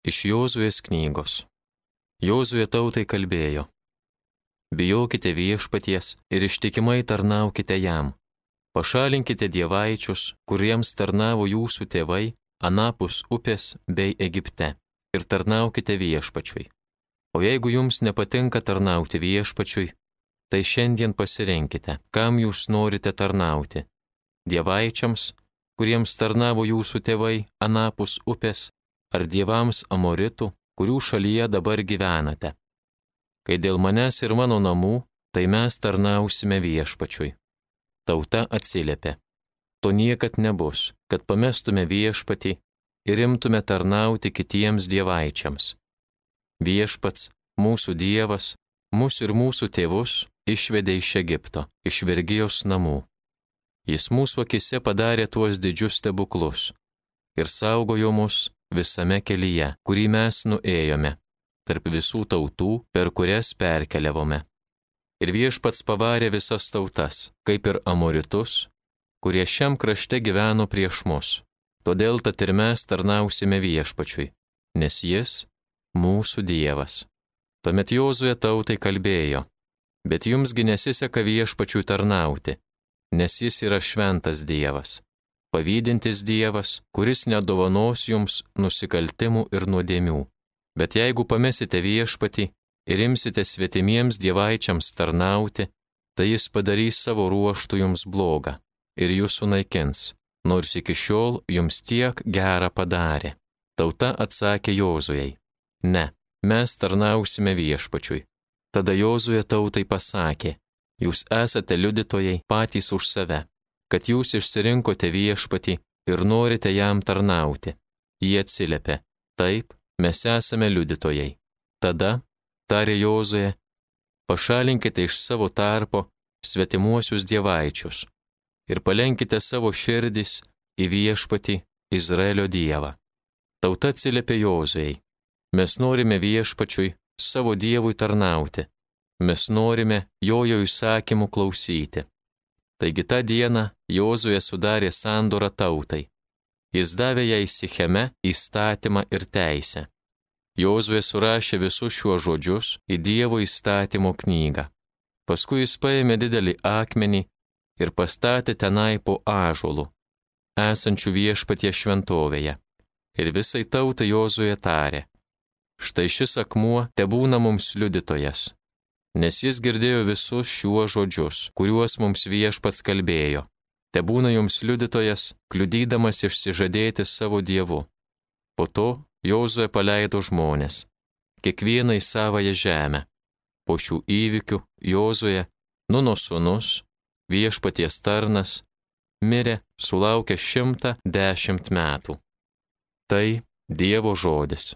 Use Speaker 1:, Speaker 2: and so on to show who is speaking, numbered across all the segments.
Speaker 1: Iš Jozuės knygos. Jozuė tautai kalbėjo: Bijokite Viešpaties ir ištikimai tarnaukite jam. Pašalinkite dievaičius, kuriems tarnavo jūsų tėvai anapus upės bei Egipte, ir tarnaukite Viešpačiui. O jeigu jums nepatinka tarnauti Viešpačiui, tai šiandien pasirenkite, kam jūs norite tarnauti. Dievaičiams, kuriems tarnavo jūsų tėvai anapus upės, ar dievams Amoritų, kurių šalyje dabar gyvenate. Kai dėl manęs ir mano namų, tai mes tarnausime Viešpačiui. Tauta atsiliepė: To niekad nebus, kad pamestume Viešpatį ir imtume tarnauti kitiems dievaičiams. Viešpats, mūsų Dievas, mus ir mūsų tėvus išvedė iš Egipto, iš vergijos namų. Jis mūsų akise padarė tuos didžius stebuklus ir saugojo mus visame kelyje, kurį mes nuėjome, tarp visų tautų, per kurias perkeliavome. Ir Viešpats pavarė visas tautas, kaip ir Amoritus, kurie šiam krašte gyveno prieš mus. Todėl tad ir mes tarnausime Viešpačiui, nes jis mūsų Dievas. Tuomet Jozuė tautai kalbėjo: Bet jumsgi nesiseka Viešpačiui tarnauti, nes jis yra šventas Dievas, pavydintis Dievas, kuris nedovanos jums nusikaltimų ir nuodėmių. Bet jeigu pamesite Viešpatį ir imsite svetimiems dievaičiams tarnauti, tai jis padarys savo ruožtų jums blogą ir jūs sunaikins, nors iki šiol jums tiek gerą padarė. Tauta atsakė Jozuei: Ne, mes tarnausime Viešpačiui. Tada Jozuė tautai pasakė: Jūs esate liudytojai patys už save, kad jūs išsirinkote Viešpatį ir norite jam tarnauti. Jie atsiliepė: Taip, mes esame liudytojai. Tada, tarė Jozuė, pašalinkite iš savo tarpo svetimuosius dievaičius ir palenkite savo širdis į Viešpatį Izraelio Dievą. Tauta atsiliepė Jozuei: Mes norime Viešpačiui, savo Dievui tarnauti. Mes norime jo įsakymų klausyti. Taigi tą dieną Jozuė sudarė sandorą tautai. Jis davė jai Sicheme įstatymą ir teisę. Jozuė surašė visus šiuos žodžius į Dievo įstatymo knygą. Paskui jis paėmė didelį akmenį ir pastatė tenai po ąžuolu, esančių Viešpaties šventovėje. Ir visai tautai Jozuė tarė: Štai šis akmuo tebūna mums liudytojas, nes jis girdėjo visus šiuos žodžius, kuriuos mums Viešpats kalbėjo. Tebūna jums liudytojas, kliudydamas išsižadėti savo Dievu. Po to Jozuė paleido žmones, kiekvieną į savąją žemę. Po šių įvykių Jozuė, Nuno sūnus, Viešpaties tarnas, mirė sulaukęs 110 metų. Tai Dievo žodis.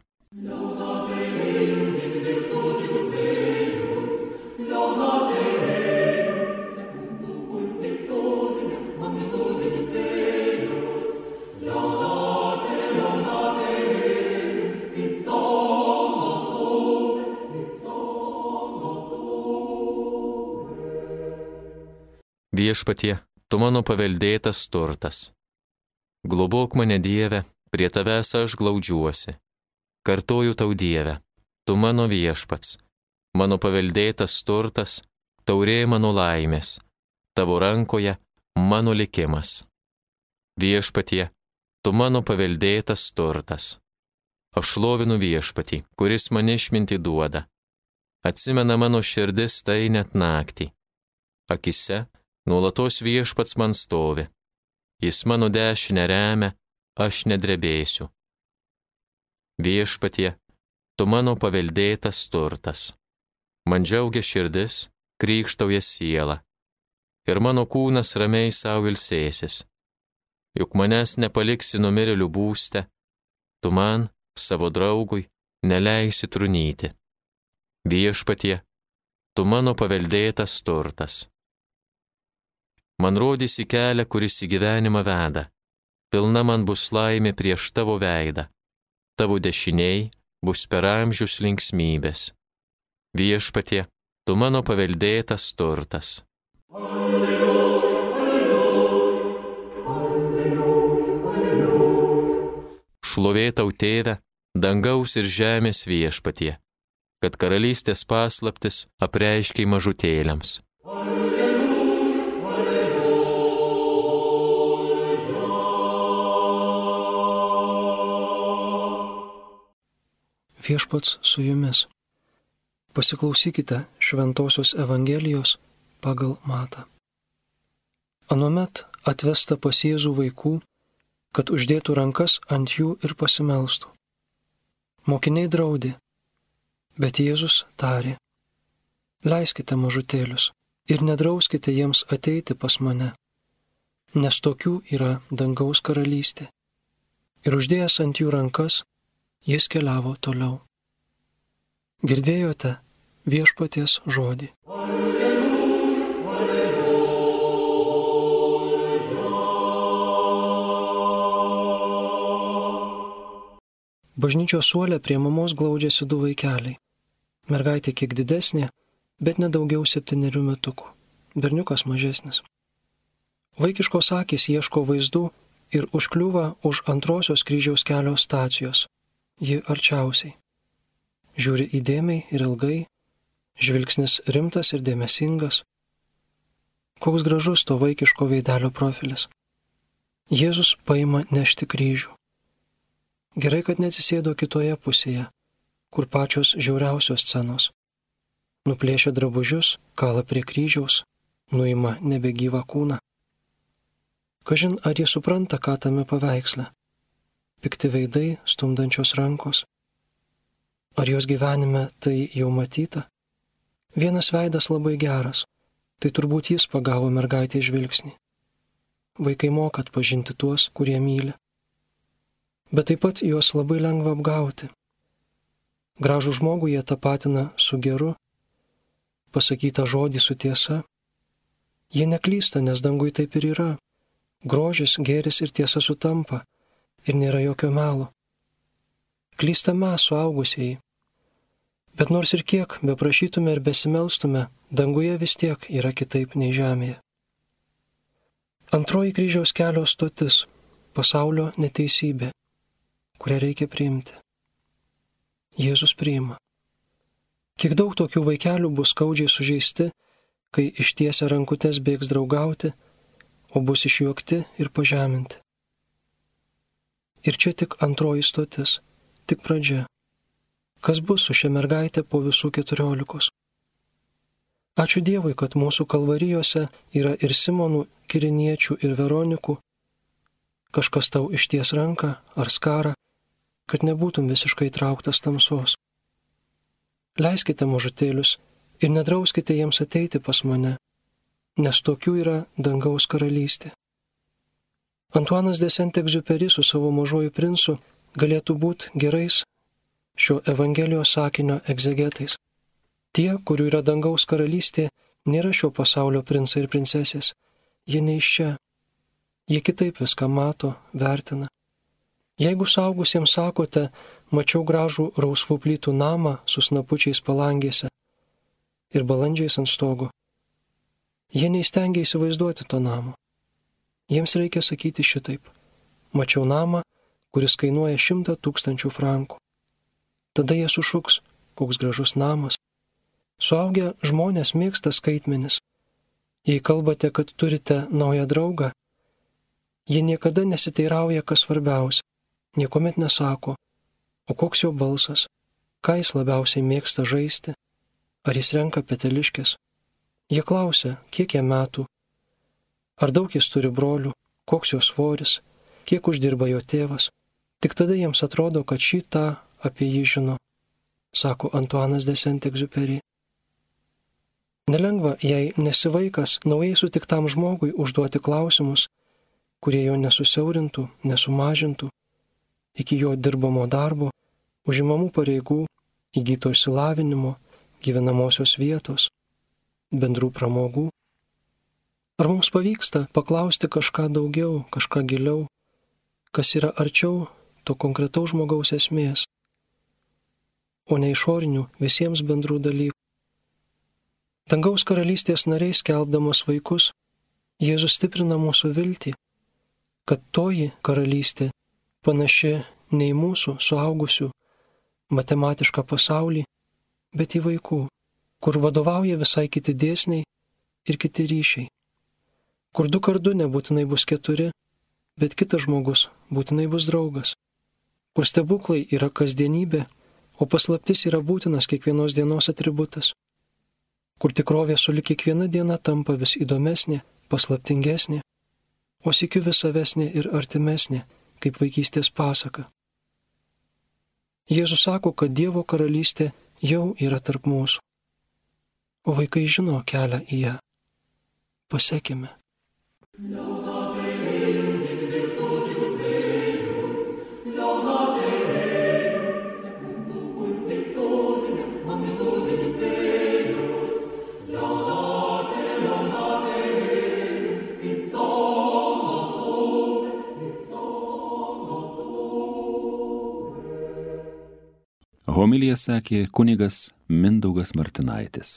Speaker 1: Viešpatie, tu mano paveldėtas turtas. Globok mane, Dieve, prie tavęs aš glaudžiuosi. Kartoju tau, Dieve, tu mano Viešpats, mano paveldėtas turtas, taurė mano laimės, tavo rankoje mano likimas. Viešpatie, tu mano paveldėtas turtas. Aš šlovinu Viešpatį, kuris man išmintį duoda. Atsimena mano širdis tai net naktį. Akise nuolatos Viešpats man stovi. Jis mano dešinę remia, aš nedrebėsiu. Viešpatie, tu mano paveldėtas turtas. Man džiaugia širdis, krykštauja siela. Ir mano kūnas ramiai savo ilsėsis. Juk manęs nepaliksi numirėlių būste, tu man, savo draugui, neleisi trunyti. Viešpatie, tu mano paveldėtas turtas. Man rodysi kelią, kuris į gyvenimą veda. Pilna man bus laimė prieš tavo veidą. Tavo dešiniai bus per amžius linksmybės. Viešpatie, tu mano paveldėtas turtas.
Speaker 2: Alleluja, alleluja, alleluja, alleluja.
Speaker 1: Šlovė tau, Tėve, dangaus ir žemės viešpatie, kad karalystės paslaptis apreiškiai mažutėliams.
Speaker 3: Viešpats su jumis. Pasiklausykite Šventosios Evangelijos pagal Matą. Anuomet atvesta pas Jėzų vaikų, kad uždėtų rankas ant jų ir pasimelstų. Mokiniai draudė, bet Jėzus tarė: leiskite mažutėlius ir nedrauskite jiems ateiti pas mane, nes tokių yra dangaus karalystė. Ir uždėjęs ant jų rankas, jis keliavo toliau. Girdėjote Viešpaties žodį. Bažnyčios suole prie mamos glaudžiasi du vaikeliai. Mergaitė kiek didesnė, bet nedaugiau 7 metukų. Berniukas mažesnis. Vaikiškos akys ieško vaizdų ir užkliūva už antrosios kryžiaus kelio stacijos. Ji arčiausiai. Žiūri įdėmiai ir ilgai, žvilgsnis rimtas ir dėmesingas. Koks gražus to vaikiško veidelio profilis. Jėzus paima nešti kryžių. Gerai, kad neatsisėdo kitoje pusėje, kur pačios žiauriausios scenos. Nuplėšia drabužius, kala prie kryžiaus, nuima nebegyvą kūną. Kažin, ar jie supranta, ką tame paveiksle? Pikti veidai, stumdančios rankos. Ar jos gyvenime tai jau matyta? Vienas veidas labai geras, tai turbūt jis pagavo mergaitę žvilgsnį. Vaikai moka atpažinti tuos, kurie myli. Bet taip pat juos labai lengva apgauti. Gražų žmogų jie tapatina su geru, pasakytą žodį su tiesa. Jie neklysta, nes dangui taip ir yra. Grožis, gėris ir tiesa sutampa ir nėra jokio melo. Klysta mes, suaugusieji. Bet nors ir kiek beprašytume ir besimelstume, danguje vis tiek yra kitaip nei žemėje. Antroji kryžiaus kelio stotis - pasaulio neteisybė, kurią reikia priimti. Jėzus priima. Kiek daug tokių vaikelių bus skaudžiai sužeisti, kai ištiesia rankutes bėgs draugauti, o bus išjuokti ir pažeminti. Ir čia tik antroji stotis, tik pradžia. Kas bus su šia mergaitė po visų 14? Ačiū Dievui, kad mūsų kalvarijose yra ir Simonų, Kiriniečių ir Veronikų. Kažkas tau išties ranką ar skarą, kad nebūtum visiškai trauktas tamsos. Leiskite mažutėlius ir nedrauskite jiems ateiti pas mane, nes tokių yra dangaus karalystė. Antuanas de Saint-Exupéry su savo Mažuoju princu galėtų būti gerais šio Evangelijos sakinio egzegetais. Tie, kurių yra dangaus karalystė, nėra šio pasaulio princai ir princesės. Jie ne iš čia. Jie kitaip viską mato, vertina. Jeigu suaugusiems sakote, mačiau gražų rausvų plytų namą su snapučiais palangėse ir balandžiais ant stogo, jie neįstengia įsivaizduoti to namo. Jiems reikia sakyti šitaip: mačiau namą, kuris kainuoja 100 000 frankų. Tada jie sušuks: koks gražus namas. Suaugę žmonės mėgsta skaitmenis. Jei kalbate, kad turite naują draugą, jie niekada nesiteirauja, kas svarbiausia, niekuomet nesako, o koks jo balsas, ką jis labiausiai mėgsta žaisti, ar jis renka peteliškės. Jie klausia, kiek jam metų, ar daug jis turi brolių, koks jo svoris, kiek uždirba jo tėvas. Tik tada jiems atrodo, kad šį tą apie jį žino, sako Antuanas de Saint-Exupéry. Nelengva, jei nesi vaikas, naujai sutiktam žmogui užduoti klausimus, kurie jo nesusiaurintų, nesumažintų, iki jo dirbamo darbo, užimamų pareigų, įgyto išsilavinimo, gyvenamosios vietos, bendrų pramogų. Ar mums pavyksta paklausti kažką daugiau, kažką giliau, kas yra arčiau to konkretaus žmogaus esmės, o ne išorinių visiems bendrų dalykų? Dangaus karalystės nariai skelbdamas vaikus, Jėzus stiprina mūsų viltį, kad toji karalystė panaši ne į mūsų suaugusių matematišką pasaulį, bet į vaikų, kur vadovauja visai kiti dėsniai ir kiti ryšiai, kur 2 × 2 nebūtinai bus 4, bet kitas žmogus būtinai bus draugas, kur stebuklai yra kasdienybė, o paslaptis yra būtinas kiekvienos dienos atributas, kur tikrovė sulig kiekviena diena tampa vis įdomesnė, paslaptingesnė, o sykiu vis savesnė ir artimesnė, kaip vaikystės pasaka. Jėzus sako, kad Dievo karalystė jau yra tarp mūsų, o vaikai žino kelią į ją. Pasekime.
Speaker 4: Homiliją sakė kunigas Mindaugas Martinaitis.